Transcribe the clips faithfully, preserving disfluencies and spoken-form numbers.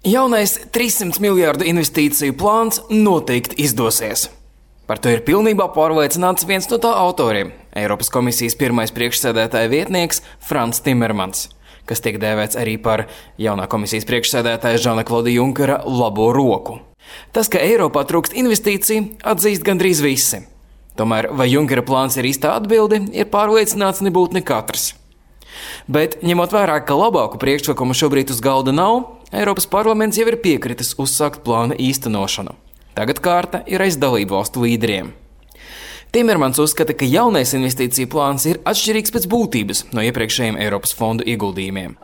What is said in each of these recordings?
Jaunais trīssimtu miljārdu investīciju plāns noteikti izdosies. Par to ir pilnībā pārliecināts viens no tā autoriem – Eiropas komisijas pirmais priekšsēdētāja vietnieks Frans Timermans, kas tiek dēvēts arī par jaunā komisijas priekšsēdētāja Žana-Klauda Junkera labo roku. Tas, ka Eiropā trūkst investīciju, atzīst gandrīz visi. Tomēr, vai Junkera plāns ir īstā atbilde, ir pārliecināts nebūt ne katrs. Bet, ņemot vērā, ka labāku priekšlikumu šobrīd uz galda nav, Eiropas parlaments jau ir piekritis uzsākt plāna īstenošanu. Tagad kārta ir aiz dalību valstu līderiem. Timermans uzskata, ka jaunais investīciju plāns ir atšķirīgs pēc būtības no iepriekšējiem Eiropas fondu ieguldījumiem.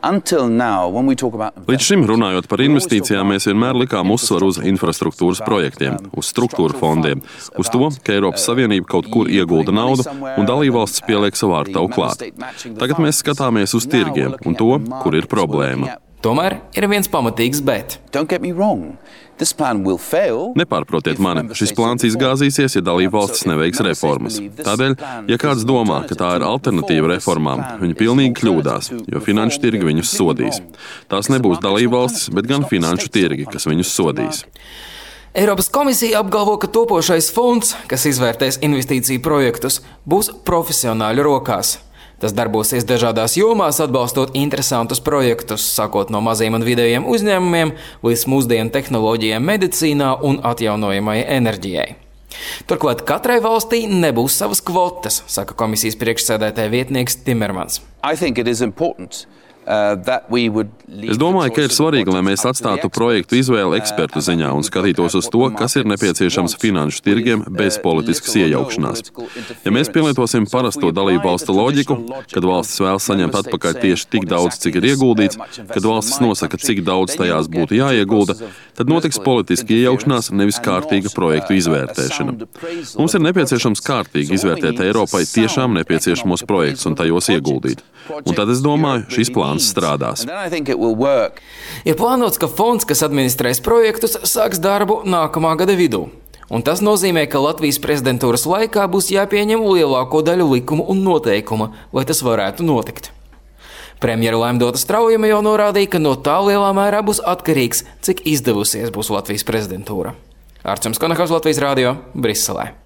Līdz šim runājot par investīcijām, mēs vienmēr likām uzsvaru uz infrastruktūras projektiem, uz struktūra fondiem, uz to, ka Eiropas Savienība kaut kur iegulda naudu un dalībvalstis pieliek savu ārtavu klāt. Tagad mēs skatāmies uz tirgiem un to, kur ir problēma. Tomēr ir viens pamatīgs bet. Nepārprotiet mani, šis plāns izgāzīsies, ja dalībvalstis neveiks reformas. Tādēļ, ja kāds domā, ka tā ir alternatīva reformām, viņi pilnīgi kļūdās, jo finanšu tirgi viņus sodīs. Tās nebūs dalībvalstis, bet gan finanšu tirgi, kas viņus sodīs. Eiropas komisija apgalvo, ka topošais fonds, kas izvērtēs investīciju projektus, būs profesionāļu rokās. Tas darbosies dažādās jomās, atbalstot interesantus projektus, sākot no maziem un vidējiem uzņēmumiem līdz mūsdienu tehnoloģijām medicīnā un atjaunojamajai enerģijai. Turklāt katrai valstī nebūs savas kvotas, saka komisijas priekšsēdētāja vietnieks Timermans. Es domāju, ka ir svarīgi, lai mēs atstātu projektu izvēli ekspertu ziņā un skatītos uz to, kas ir nepieciešams finanšu tirgiem bez politiskas iejaukšanās. Ja mēs pielietosim parasto dalību valstu loģiku, kad valstis vēlas saņemt atpakaļ tieši tik daudz, cik ir ieguldīts, kad valstis nosaka, cik daudz tajās būtu jāiegulda, tad notiks politiska iejaukšanās, nevis kārtīga projektu izvērtēšana. Mums ir nepieciešams kārtīgi izvērtēt Eiropai tiešām nepieciešamos projektus un tajos ieguldīt. Un tad es domāju, šis plāns strādās. Ir plānots, ka fonds, kas administrēs projektus, sāks darbu nākamā gada vidū. Un tas nozīmē, ka Latvijas prezidentūras laikā būs jāpieņem lielāko daļu likumu un noteikumu, lai tas varētu notikt. Premjera Laimdota Straujama jau norādīja, ka no tā lielā mērā būs atkarīgs, cik izdevusies būs Latvijas prezidentūra. Arčuns Konahaus, Latvijas radio, Briselē.